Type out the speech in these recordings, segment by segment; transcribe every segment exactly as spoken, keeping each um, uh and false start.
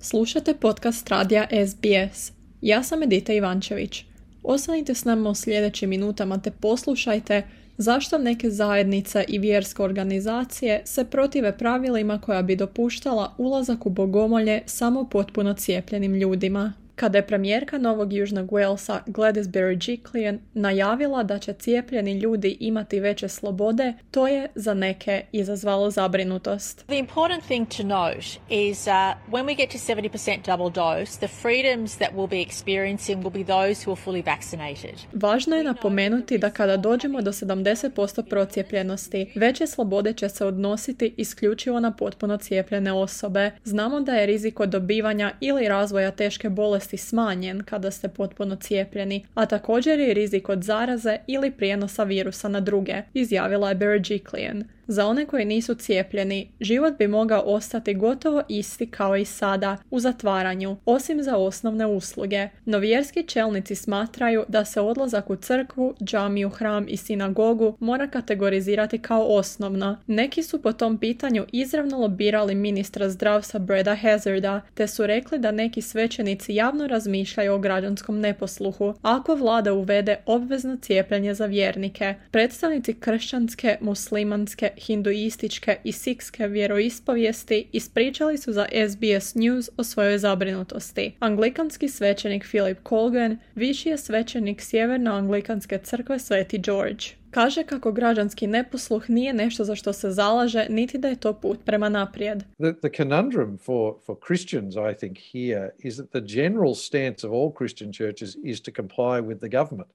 Slušate podcast radija S B S. Ja sam Edita Ivančević. Ostanite s nama u sljedećim minutama te poslušajte zašto neke zajednice i vjerske organizacije se protive pravilima koja bi dopuštala ulazak u bogomolje samo potpuno cijepljenim ljudima. Kada je premijerka Novog Južnog Walesa Gladys Berejiklian najavila da će cijepljeni ljudi imati veće slobode, to je za neke izazvalo zabrinutost. The important thing to note is uh, when we get to seventy percent double dose, the freedoms that we'll be experiencing will be those who are fully vaccinated. Važno je napomenuti da kada dođemo do sedamdeset posto procijepljenosti, veće slobode će se odnositi isključivo na potpuno cijepljene osobe. Znamo da je rizik od dobivanja ili razvoja teške bolesti smanjen kada ste potpuno cijepljeni, a također je rizik od zaraze ili prijenosa virusa na druge, izjavila je Berejiklian. Za one koji nisu cijepljeni, život bi mogao ostati gotovo isti kao i sada, u zatvaranju, osim za osnovne usluge. No vjerski čelnici smatraju da se odlazak u crkvu, džamiju, hram i sinagogu mora kategorizirati kao osnovno. Neki su po tom pitanju izravno lobirali ministra zdravstva Breda Hazarda, te su rekli da neki svećenici javno razmišljaju o građanskom neposluhu ako vlada uvede obvezno cijepljenje za vjernike. Predstavnici kršćanske, muslimanske, hinduističke i sikske vjeroispovijesti ispričali su za S B S News o svojoj zabrinutosti. Anglikanski svećenik Philip Colgan, viši je svećenik Sjeverno-anglikanske crkve Sveti George. Kaže kako građanski neposluh nije nešto za što se zalaže, niti da je to put prema naprijed. The, the conundrum for, for Christians, I think, here is that the general stance of all Christian churches is to comply with the government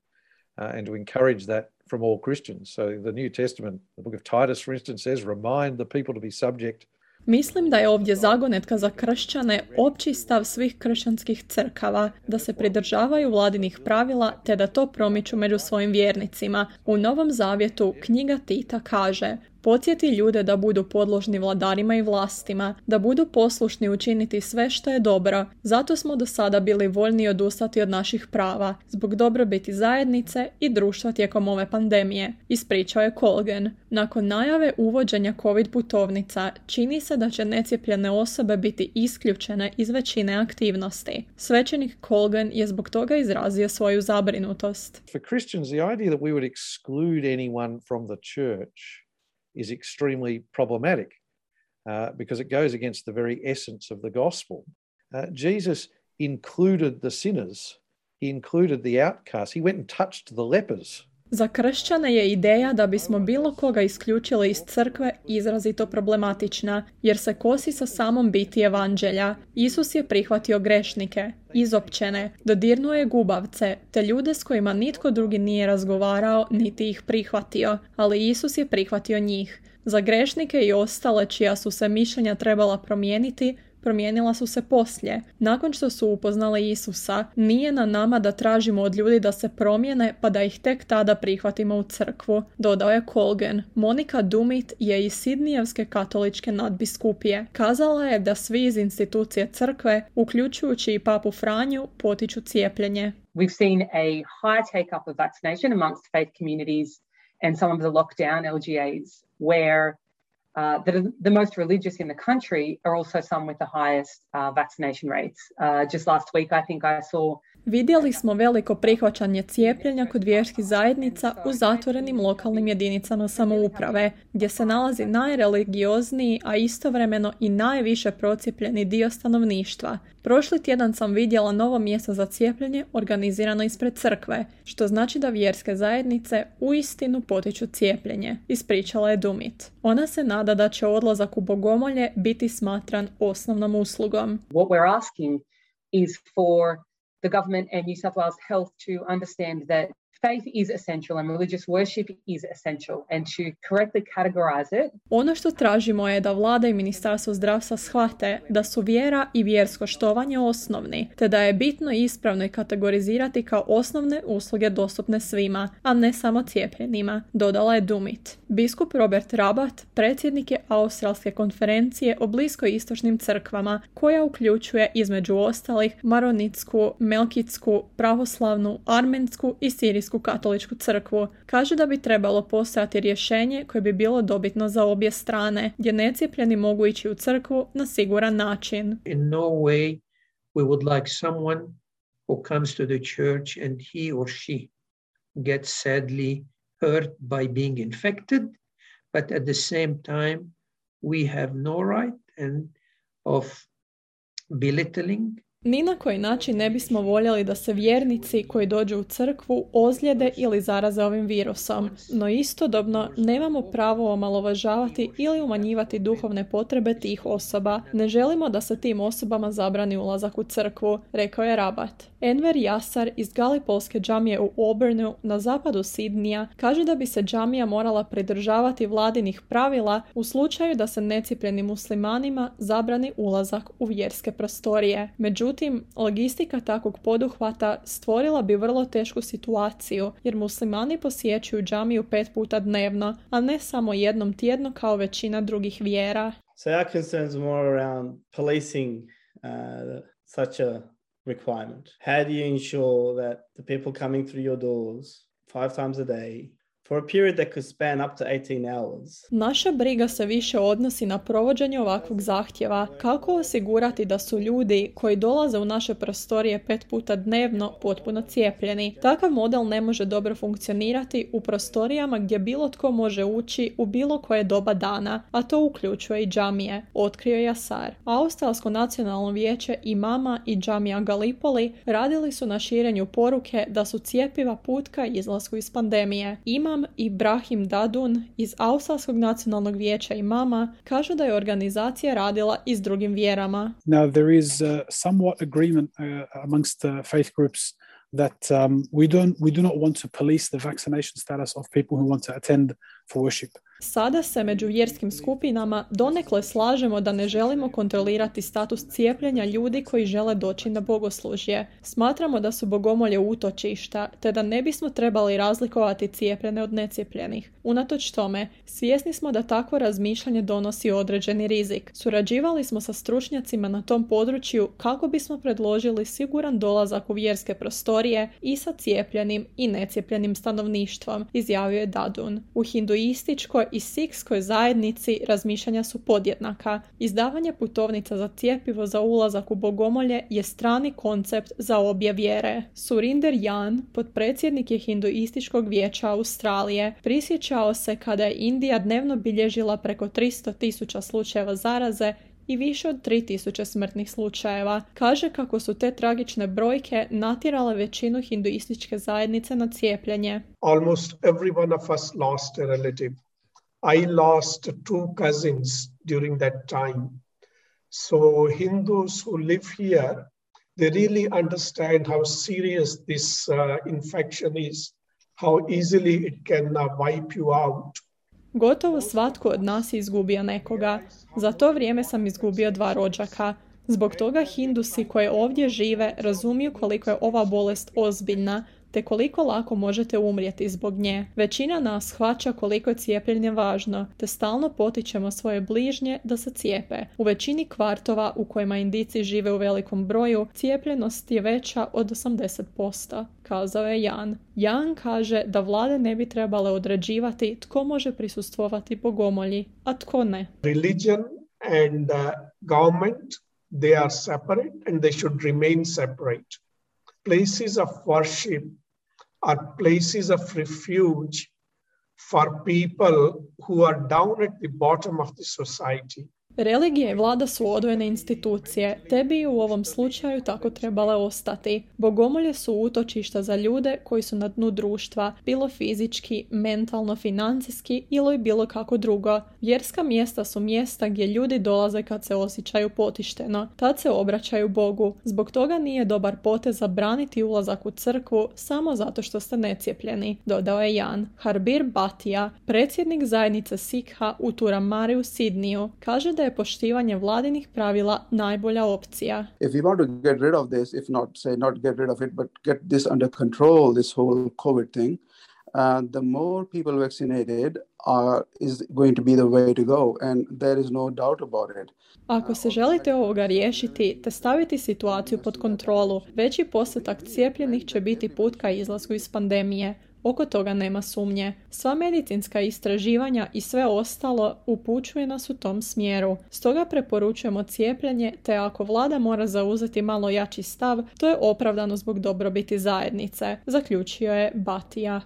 uh, and to encourage that from all Christians. So the New Testament, the book of Titus, for instance, says, remind the people to be subject. Mislim da je ovdje zagonetka za kršćane opći stav svih kršćanskih crkava, da se pridržavaju vladinih pravila te da to promiču među svojim vjernicima. U Novom Zavjetu knjiga Tita kaže: podsjeti ljude da budu podložni vladarima i vlastima, da budu poslušni učiniti sve što je dobro. Zato smo do sada bili voljni odustati od naših prava, zbog dobrobiti zajednice i društva tijekom ove pandemije, ispričao je Colgan. Nakon najave uvođenja COVID putovnica, čini se da će necijepljene osobe biti isključene iz većine aktivnosti. Svećenik Colgan je zbog toga izrazio svoju zabrinutost. For Christians, the idea that we would exclude anyone from the church is extremely problematic uh, because it goes against the very essence of the gospel. Uh, Jesus included the sinners. He included the outcasts. He went and touched the lepers. Za kršćane je ideja da bismo bilo koga isključili iz crkve izrazito problematična, jer se kosi sa samom biti evanđelja. Isus je prihvatio grešnike, izopćene, dodirnuo je gubavce, te ljude s kojima nitko drugi nije razgovarao niti ih prihvatio, ali Isus je prihvatio njih. Za grešnike i ostale čija su se mišljenja trebala promijeniti, promijenila su se poslije. Nakon što su upoznali Isusa, nije na nama da tražimo od ljudi da se promijene pa da ih tek tada prihvatimo u crkvu, dodao je Colgan. Monika Dumit je iz Sidnijevske katoličke nadbiskupije. Kazala je da svi iz institucije crkve, uključujući i papu Franju, potiču cijepljenje. We've seen a high take-up of vaccination amongst faith communities and some of the lockdown L G As where Uh, that are the most religious in the country are also some with the highest uh, vaccination rates. Uh, just last week, I think I saw... Vidjeli smo veliko prihvaćanje cijepljenja kod vjerskih zajednica u zatvorenim lokalnim jedinicama samouprave, gdje se nalazi najreligiozniji, a istovremeno i najviše procijepljeni dio stanovništva. Prošli tjedan sam vidjela novo mjesto za cijepljenje organizirano ispred crkve, što znači da vjerske zajednice uistinu potiču cijepljenje, ispričala je Dumit. Ona se nada da će odlazak u bogomolje biti smatran osnovnom uslugom. What we're asking is for the government and New South Wales Health to understand that faith is essential and religious worship is essential and to correctly categorize it. Ono što tražimo je da vlada i Ministarstvo zdravstva shvate da su vjera i vjersko štovanje osnovni, te da je bitno i ispravno kategorizirati kao osnovne usluge dostupne svima, a ne samo cijepljenima, dodala je Dumit. Biskup Robert Rabat predsjednik je Australske konferencije o bliskoistočnim crkvama, koja uključuje između ostalih maronitsku, melkitsku, pravoslavnu, armensku i sirijsku Srpsku katoličku crkvu. Kaže da bi trebalo postojati rješenje koje bi bilo dobitno za obje strane, gdje necijepljeni mogu ići u crkvu na siguran način. In no way we would like someone who comes to the church and he or she gets sadly hurt by being infected, but at the same time we have no right and of belittling. Ni na koji način ne bismo voljeli da se vjernici koji dođu u crkvu ozlijede ili zaraze ovim virusom, no istodobno nemamo pravo omalovažavati ili umanjivati duhovne potrebe tih osoba. Ne želimo da se tim osobama zabrani ulazak u crkvu, rekao je rabat. Enver Jasar iz Galipolske džamije u Auburnu na zapadu Sidnija kaže da bi se džamija morala pridržavati vladinih pravila u slučaju da se necijepljenim muslimanima zabrani ulazak u vjerske prostorije. Međutim, logistika takvog poduhvata stvorila bi vrlo tešku situaciju, jer muslimani posjećuju džamiju pet puta dnevno, a ne samo jednom tjedno kao većina drugih vjera. So our concerns are more around policing uh, such a requirement. How do you ensure that the people coming through your doors five times a day for a period that could span up to eighteen hours? Naša briga se više odnosi na provođenje ovakvog zahtjeva. Kako osigurati da su ljudi koji dolaze u naše prostorije pet puta dnevno potpuno cijepljeni? Takav model ne može dobro funkcionirati u prostorijama gdje bilo tko može ući u bilo koje doba dana, a to uključuje i džamije, otkrio je Jasar. Australsko nacionalno vijeće imama i džamija Galipoli radili su na širenju poruke da su cjepiva put ka izlasku iz pandemije. Imam Ibrahim Dadun iz Australskog nacionalnog vijeća imama kaže da je organizacija radila i s drugim vjerama. Now there is uh, somewhat agreement uh, amongst uh, faith groups that um, we don't we do not want to police the vaccination status of people who want to attend for worship. Sada se među vjerskim skupinama donekle slažemo da ne želimo kontrolirati status cijepljenja ljudi koji žele doći na bogoslužje. Smatramo da su bogomolje utočišta, te da ne bismo trebali razlikovati cijepljene od necijepljenih. Unatoč tome, svjesni smo da takvo razmišljanje donosi određeni rizik. Surađivali smo sa stručnjacima na tom području kako bismo predložili siguran dolazak u vjerske prostorije i sa cijepljenim i necijepljenim stanovništvom, izjavio je Dadun. U hinduističkoj i sikskoj zajednici razmišljanja su podjednaka. Izdavanje putovnica za cjepivo za ulazak u bogomolje je strani koncept za obje vjere. Surinder Jan, potpredsjednik je hinduističkog vijeća Australije, prisjećao se kada je Indija dnevno bilježila preko tristo tisuća slučajeva zaraze i više od tri tisuće smrtnih slučajeva. Kaže kako su te tragične brojke natjerale većinu hinduističke zajednice na cijepljenje. Almost every one of us lost a relative. I lost two cousins during that time. So Hindus who live here, they really understand how serious this uh, infection is, how easily it can uh, wipe you out. Gotovo svatko od nas je izgubio nekoga. Za to vrijeme sam izgubio dva rođaka. Zbog toga Hindusi koji ovdje žive razumiju koliko je ova bolest ozbiljna, te koliko lako možete umrijeti zbog nje. Većina nas shvaća koliko je cijepljenje važno, te stalno potičemo svoje bližnje da se cijepe. U većini kvartova u kojima Indijci žive u velikom broju, cijepljenost je veća od osamdeset posto, kazao je Jan. Jan kaže da vlade ne bi trebale određivati tko može prisustvovati bogomolji, a tko ne. Religion and uh, government, they are separate and they should remain separate. Places of worship are places of refuge for people who are down at the bottom of the society. Religija i vlada su odvojene institucije, te bi u ovom slučaju tako trebale ostati. Bogomolje su utočišta za ljude koji su na dnu društva, bilo fizički, mentalno, financijski ili bilo kako drugo. Vjerska mjesta su mjesta gdje ljudi dolaze kad se osjećaju potišteno, tad se obraćaju Bogu. Zbog toga nije dobar potez zabraniti ulazak u crkvu samo zato što ste necijepljeni, dodao je Jan. Harbir Bhatia, predsjednik zajednice Sikha u Turamari u Sidniju, kaže da je poštivanje vladinih pravila najbolja opcija. If we want to get rid of this, if not say not get rid of it, but get this under control, this whole COVID thing, uh, the more people vaccinated are, is going to be the way to go, and there is no doubt about it. Ako se želite ovoga riješiti te staviti situaciju pod kontrolu, veći postotak cijepljenih će biti put ka izlasku iz pandemije. Oko toga nema sumnje. Sva medicinska istraživanja i sve ostalo upućuje nas u tom smjeru. Stoga preporučujemo cijepljenje, te ako vlada mora zauzeti malo jači stav, to je opravdano zbog dobrobiti zajednice, zaključio je Batija.